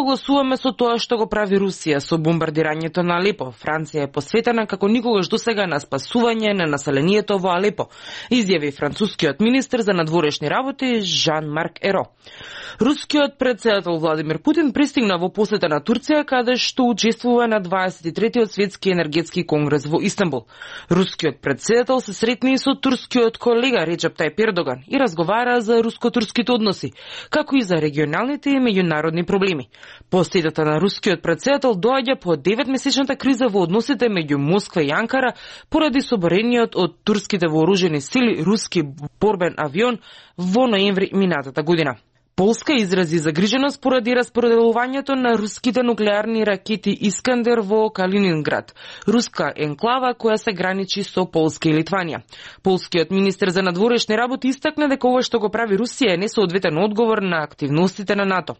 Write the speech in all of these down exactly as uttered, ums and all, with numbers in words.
согласуваме со тоа што го прави Русија со бомбардирањето на Алепо. Франција е посветена како никогаш досега на спасување на населението во Алепо, изјави францускиот министер за надворешни работи Жан-Марк Еро. Рускиот претседател Владимир Путин пристигна во посета на Турција, каде што учествува на дваесет и третиот светски енергетски конгрес во Истанбул. Рускиот претседател се сретни и со турскиот колега Реджеп Тајип Ердоган и разговара за руско-турските односи, како и за регионалните и меѓународни проблеми. Посетата на рускиот претседател доаѓа по деветмесечната криза во односите меѓу Москва и Анкара поради соборениот од турските вооружени сили руски борбен авион во ноември минатата година. Полска изрази загриженост поради распределувањето на руските нуклеарни ракети Искандер во Калининград, руска енклава која се граничи со Полска и Литванија. Полскиот министер за надворешни работи истакна дека ова што го прави Русија е несоодветен одговор на активностите на НАТО.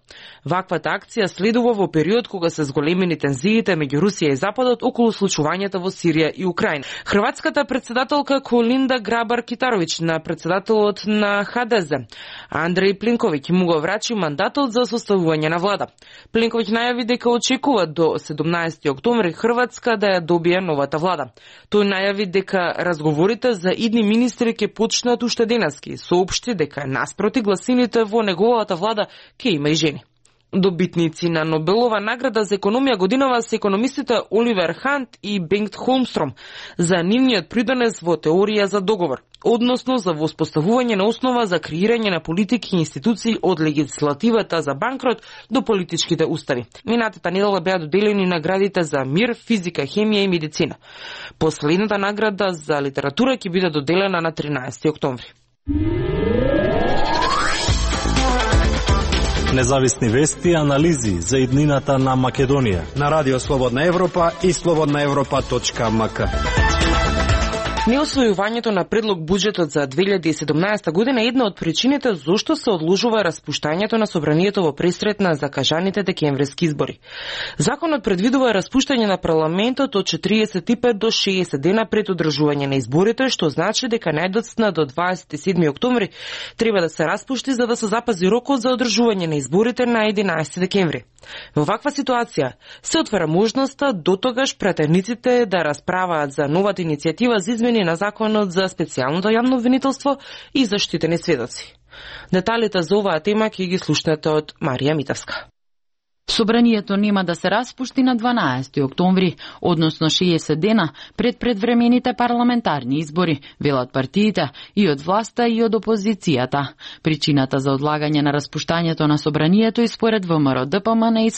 Ваквата акција следува во период кога се зголемени тензиите меѓу Русија и Западот околу случувањата во Сирија и Украина. Хрватската претседателка Колинда Грабар-Китаровиќ на претседателот на ХДЗ Андреј Пленковиќ му го врачи мандатот за составување на влада. Пленковиќ најави дека очекува до седумнаесети октомври Хрватска да ја добие новата влада. Тој најави дека разговорите за идни министри ќе почнат уште денески, соопшти дека наспроти гласините во неговата влада ќе има и жени. Добитници на Нобелова награда за економија годинава се економистите Оливер Хант и Бенgt Холмстром за нивниот придонес во теорија за договор, односно за воспоставување на основа за креирање на политики и институции од легислативата за банкрот до политичките устави. Минатата недела беа доделени наградите за мир, физика, хемија и медицина. Последната награда за литература ќе биде доделена на тринаесети октомври. Независни вести и анализи за иднината на Македонија на Радио Слободна Европа и слободна европа точка ем ка. Неосвојувањето на предлог буџетот за две илјади и седумнаесета година е една од причините зошто се одложува распуштањето на собранието во пресрет на закажаните декемвриски избори. Законот предвидува распуштање на парламентот од четириесет и пет до шеесет дена пред одржување на изборите, што значи дека најдоцна до дваесет и седми октомври треба да се распушти за да се запази рокот за одржување на изборите на единаесети декември. Во ваква ситуација се отвара можноста дотогаш пратениците да расправаат за новата иницијатива за измени на законот за специјалното јавно обвинителство и заштитени сведоци. Деталите за оваа тема ќе ги слушнете од Марија Митевска. Собранието нема да се распушти на дванаесети октомври, односно шеесет дена пред предвремените парламентарни избори, велат партиите и од власта и од опозицијата. Причината за одлагање на распуштањето на собранието и според ВМРО ДПМН и